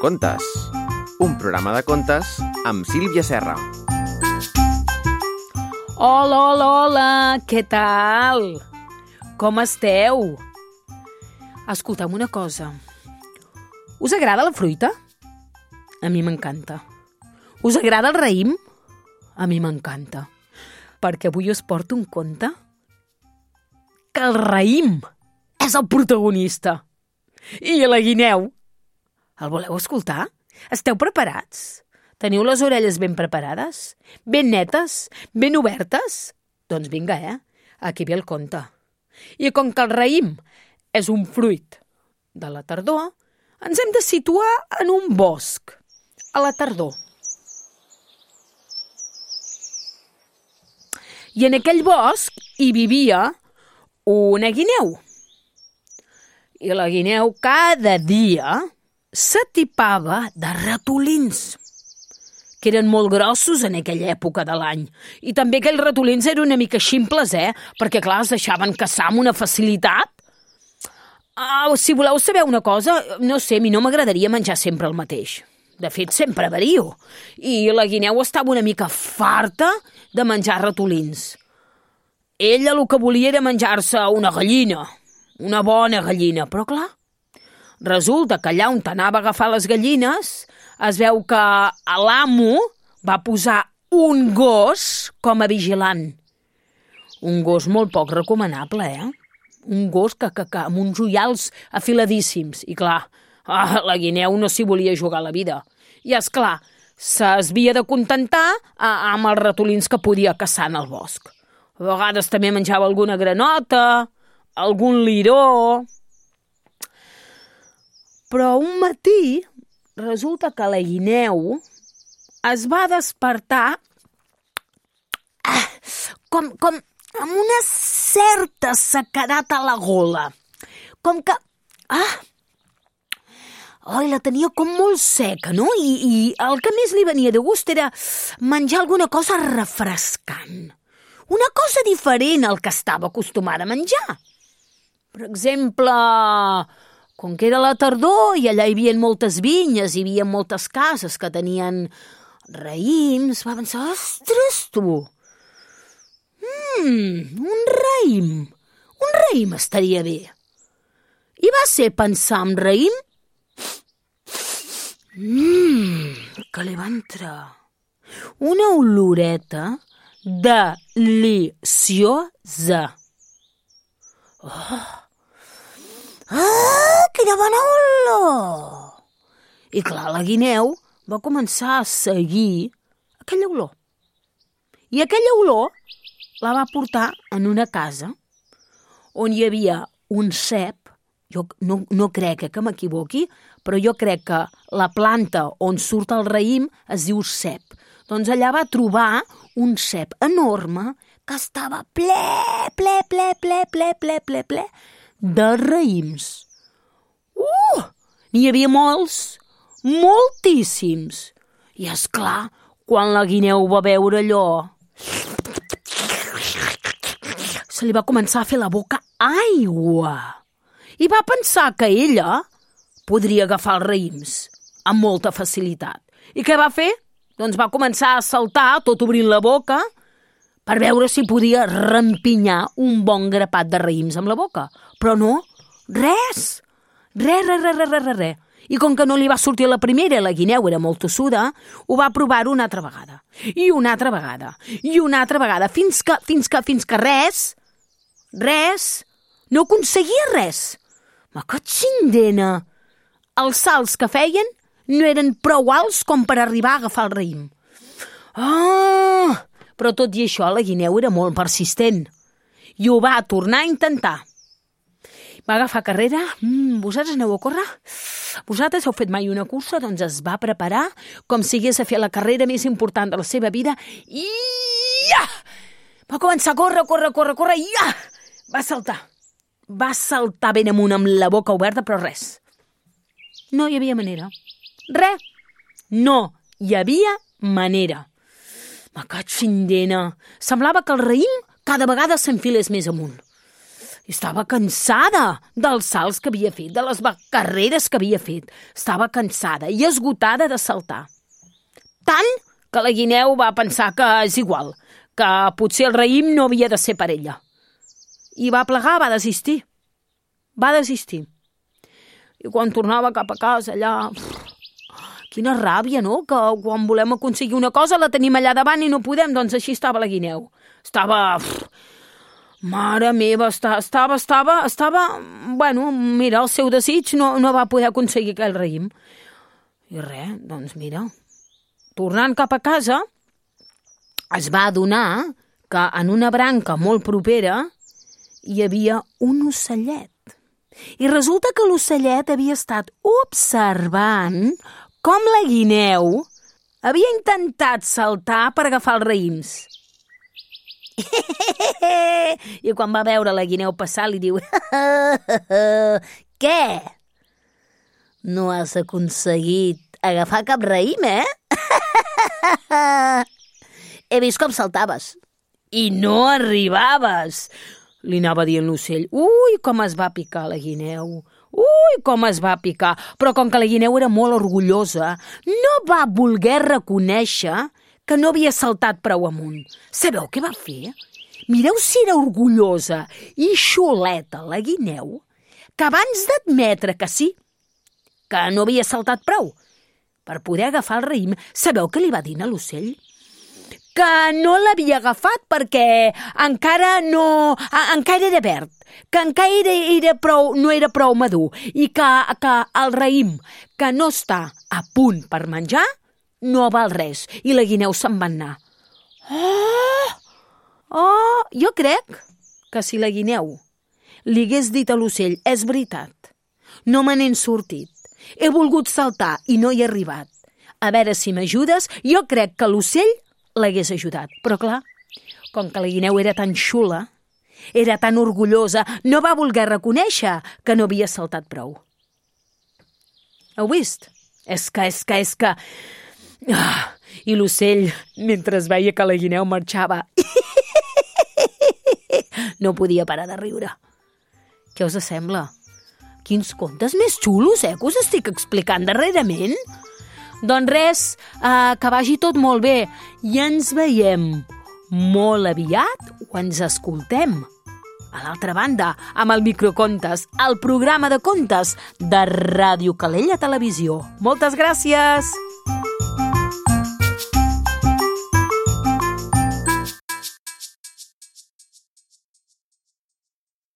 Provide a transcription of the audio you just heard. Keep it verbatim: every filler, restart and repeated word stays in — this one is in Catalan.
Contes, un programa de contes amb Sílvia Serra. Hola, hola, hola, què tal? Com esteu? Escolta'm una cosa. Us agrada la fruita? A mi m'encanta. Us agrada el raïm? A mi m'encanta. Perquè avui us porto un conte que el raïm és el protagonista. I la guineu. El voleu escoltar? Esteu preparats? Teniu les orelles ben preparades? Ben netes? Ben obertes? Doncs vinga, eh? Aquí ve el conte. I com que el raïm és un fruit de la tardor, ens hem de situar en un bosc, a la tardor. I en aquell bosc hi vivia una guineu. I la guineu cada dia s'atipava de ratolins, que eren molt grossos en aquella època de l'any. I també aquells ratolins eren una mica ximples, eh? Perquè, clar, es deixaven caçar amb una facilitat. Uh, si voleu saber una cosa, no sé, a mi no m'agradaria menjar sempre el mateix. De fet, sempre vario. I la guineu estava una mica farta de menjar ratolins. Ella el que volia era menjar-se una gallina, una bona gallina, però clar, resulta que allà on anava a agafar les gallines es veu que l'amo va posar un gos com a vigilant. Un gos molt poc recomanable, eh? Un gos que, que, que amb uns ullals afiladíssims. I clar, ah, la guineu no s'hi volia jugar la vida. I és clar, s'havia de contentar ah, amb els ratolins que podia caçar en el bosc. A vegades també menjava alguna granota, algun liró. Però un matí resulta que la guineu es va despertar ah, com, com amb una certa sequedat a la gola. Com que... Ah, oi, la tenia com molt seca, no? I, I el que més li venia de gust era menjar alguna cosa refrescant. Una cosa diferent al que estava acostumada a menjar. Per exemple, com que era la tardor i allà hi havia moltes vinyes, hi havia moltes cases que tenien raïms, va pensar, ostres, tu, mm, un raïm, un raïm estaria bé. I va ser pensar en raïm, mm, que li va entrar una oloreta deliciosa. Oh! Ah, quina bona olor! I clar, la guineu va començar a seguir aquella olor. I aquella olor la va portar en una casa on hi havia un cep. Jo no, no crec que m'equivoqui, però jo crec que la planta on surt el raïm es diu cep. Doncs allà va trobar un cep enorme que estava ple, ple, ple, ple, ple, ple, ple, ple de raïms. Uh! N'hi havia molts, moltíssims. I és clar, quan la guineu va veure allò, se li va començar a fer la boca aigua. I va pensar que ella podria agafar els raïms amb molta facilitat. I què va fer? Doncs va començar a saltar, tot obrint la boca, per veure si podia rempinyar un bon grapat de raïms amb la boca. Però no, res, res, res, res, res, res, res. I com que no li va sortir la primera, la guineu era molt tossuda, ho va provar una altra vegada. I una altra vegada, i una altra vegada, fins que, fins que, fins que res, res, no aconseguia res. Ma que xindena! Els salts que feien no eren prou alts com per arribar a agafar el raïm. Ah! Però tot i això, la guineu era molt persistent. I ho va tornar a intentar. Va agafar carrera. Mm, vosaltres aneu a córrer? Vosaltres heu fet mai una cursa? Doncs es va preparar com si hagués a fer la carrera més important de la seva vida. I ja! Va començar a córrer, córrer, córrer, córrer, i ja! Va saltar. Va saltar ben amunt amb la boca oberta, però res. No hi havia manera. Res. No hi havia manera. Ma que xindena. Semblava que el raïm cada vegada s'enfilés més amunt. Estava cansada dels salts que havia fet, de les carreres que havia fet. Estava cansada i esgotada de saltar. Tant que la guineu va pensar que és igual, que potser el raïm no havia de ser per ella. I va plegar, va desistir. Va desistir. I quan tornava cap a casa, allà... Quina ràbia, no?, que quan volem aconseguir una cosa la tenim allà davant i no podem. Doncs així estava la guineu. Estava... Mare meva, estava, estava, estava... Bueno, mira, el seu desig no, no va poder aconseguir aquell raïm. I res, doncs mira, tornant cap a casa, es va adonar que en una branca molt propera hi havia un ocellet. I resulta que l'ocellet havia estat observant com la guineu havia intentat saltar per agafar els raïms. I quan va veure la guineu passar li diu: Què? No has aconseguit agafar cap raïm, eh? He vist com saltaves i no arribaves. Li anava dient l'ocell. Ui, com es va picar la guineu. Ui, com es va picar. Però com que la guineu era molt orgullosa, no va voler reconèixer que no havia saltat prou amunt. Sabeu què va fer? Mireu si era orgullosa i xuleta la guineu, que abans d'admetre que sí, que no havia saltat prou per poder agafar el raïm, sabeu què li va dir a l'ocell? Que no l'havia agafat perquè encara no... encara era verd, que encara era, era prou, no era prou madur i que, que el raïm que no està a punt per menjar no val res. I la guineu se'n va anar. Oh! Oh! Jo crec que si la guineu li hagués dit a l'ocell: és veritat, no me n'he sortit, he volgut saltar i no hi he arribat, a veure si m'ajudes, jo crec que l'ocell l'hagués ajudat. Però clar, com que la guineu era tan xula, era tan orgullosa, no va voler reconèixer que no havia saltat prou. Heu vist? És que, és que, és que... Ah, i l'ocell, mentre veia que la guineu marxava, no podia parar de riure. Què us sembla? Quins contes més xulos, eh, que us estic explicant darrerament? Doncs res, eh, que vagi tot molt bé i ens veiem molt aviat o ens escoltem a l'altra banda amb el Microcontes, el programa de contes de Ràdio Calella Televisió. Moltes gràcies!